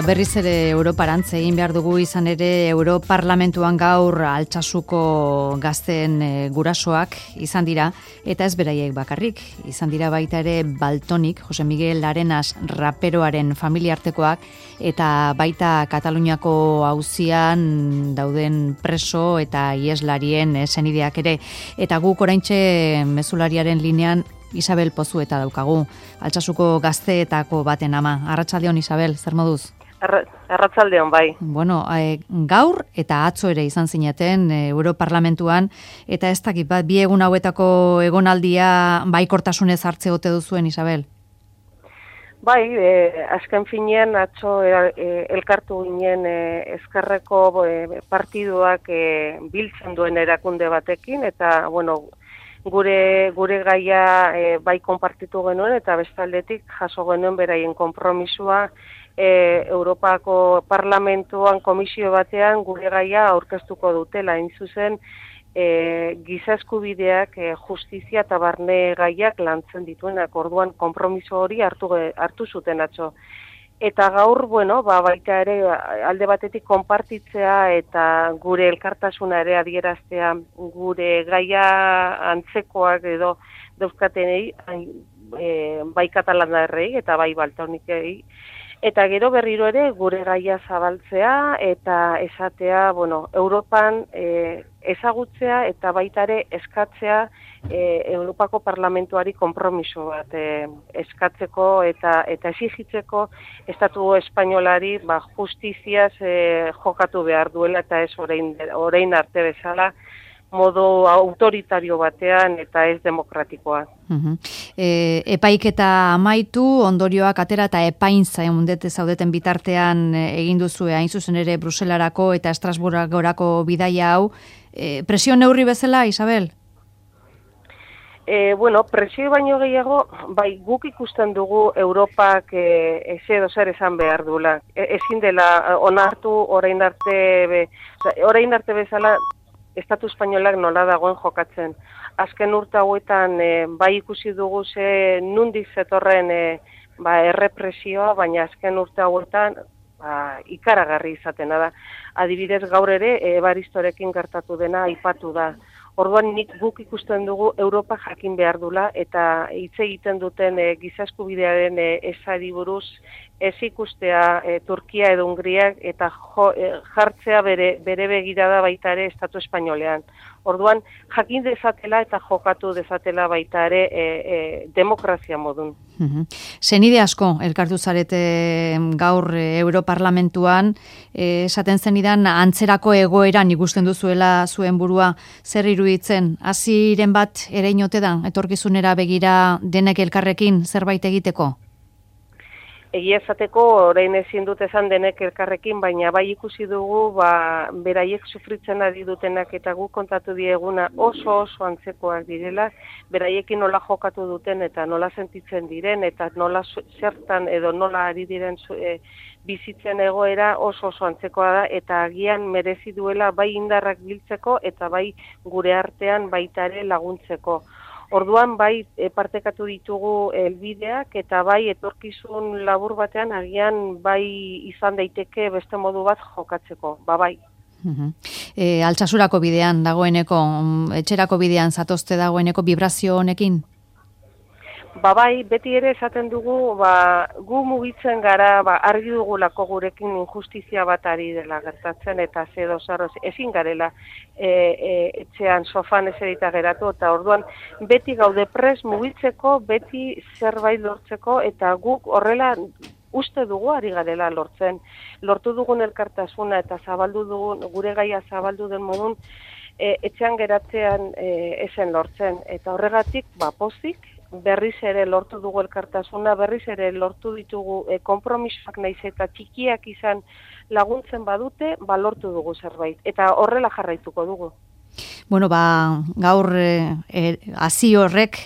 Berriz ere Europarantz egin behar dugu, izan ere Europarlamentuan gaur Altsasuko gazteen gurasoak izan dira, eta ez beraiek bakarrik, izan dira baita ere Baltonik, Jose Miguel Arenas raperoaren familiartekoak, eta baita Kataluniako auzian dauden preso eta ieslarien senideak ere, eta guk oraintxe mezulariaren linean Isabel Pozueta daukagu, Altsasuko gazteetako baten ama. Arratsaldeon, Isabel, zer moduz? Arratsaldeon, bai. Bueno, gaur eta atzo ere izan zineten Europarlamentuan, eta ez dakit bat, bi egun hauetako egonaldia baikortasunez hartze ote duzuen, Isabel? Bai, azken finean atzo elkartu ginen ezkerreko partiduak biltzen duen erakunde batekin, eta, bueno, gure gaia bai konpartitu genuen eta bestaldetik jaso genuen beraien konpromisua Europako Parlamentuan komisio batean gure gaia aurkeztuko dutela, hain zuzen giza eskubideak, justizia eta barne gaiak lantzen dituenak, orduan konpromiso hori hartu zuten atzo. Eta gaur, bueno, baita ere alde batetik konpartitzea eta gure elkartasuna ere adieraztea gure gaia antzekoak edo dauzkatenei, bai katalandarrei eta bai baltonikei. Eta gero berriro ere gure gaia zabaltzea eta esatea, bueno, Europan ezagutzea eta baita ere eskatzea Europako Parlamentuari konpromiso bat eskatzeko eta exigitzeko Estatu Espainolari justiziaz jokatu behar duela eta ez orain arte bezala modu autoritario batean eta ez demokratikoa. Epaiketa amaitu, ondorioak atera eta epain zaudeten bitartean egin duzue, hain zuzen ere Bruselarako eta Estrasburgorako bidaia hau. Presio neurri bezala, Isabel? Bueno, presio baino gehiago, bai, guk ikusten dugu Europak edo zer esan behar duela. Ezin dela onartu orain arte bezala Estatu Espainolak nola dagoen jokatzen. Azken urte hauetan bai ikusi dugu nundik zetorren errepresioa, baina azken urte hauetan ikaragarri izatena da. Adibidez gaur ere Evaristorekin gertatu dena aipatu da. Orduan guk ikusten dugu Europa jakin behar dula eta hitz egiten duten giza eskubidearen ezari buruz ez ikustea Turkia edo Hungriak eta jartzea bere begirada baita ere Estatu Espainolean. Orduan jakin dezatela eta jokatu dezatela baita ere demokrazia modun. Senide asko elkartu zarete gaur Europarlamentuan, esaten zenidan antzerako egoeran ikusten duzuela zuen burua, zer iruditzen, hasiren bat ereinote da, etorkizunera begira denek elkarrekin zerbait egiteko? Egia esateko, orain ezin dut esan denek elkarrekin, baina bai ikusi dugu, beraiek sufritzen ari dutenak eta guk kontatu dieguna oso antzekoak direla, beraiekin nola jokatu duten eta nola sentitzen diren, eta nola zertan edo nola ari diren bizitzen egoera oso antzekoa da, eta agian merezi duela bai indarrak biltzeko eta bai gure artean baita ere laguntzeko. Orduan bai partekatu ditugu helbideak eta bai etorkizun labur batean agian bai izan daiteke beste modu bat jokatzeko, bai. Altsasurako bidean dagoeneko, etxerako bidean zatozte dagoeneko vibrazio honekin? Bai, beti ere esaten dugu, gu mugitzen gara, argi dugulako gurekin injustizia bat ari dela gertatzen, eta ezin garela etxean sofan eserita geratu, eta orduan beti gaude pres mugitzeko, beti zerbait lortzeko, eta guk horrela uste dugu ari garela lortzen. Lortu dugun elkartasuna eta zabaldu dugun, gure gaia zabaldu den modun, etxean geratzean esen lortzen, eta horregatik, pozik, berriz ere lortu dugu elkartasuna, berriz ere lortu ditugu konpromisoak naiz eta txikiak izan laguntzen badute, lortu dugu zerbait. Eta horrela jarraituko dugu. Bueno, gaur hasi horrek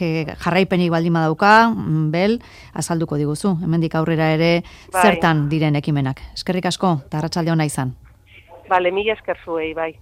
jarraipenik baldin badauka, Bel, azalduko diguzu. Hemendik aurrera ere zertan diren ekimenak. Eskerrik asko, eta arratsalde ona izan. Mila esker zuei, bai.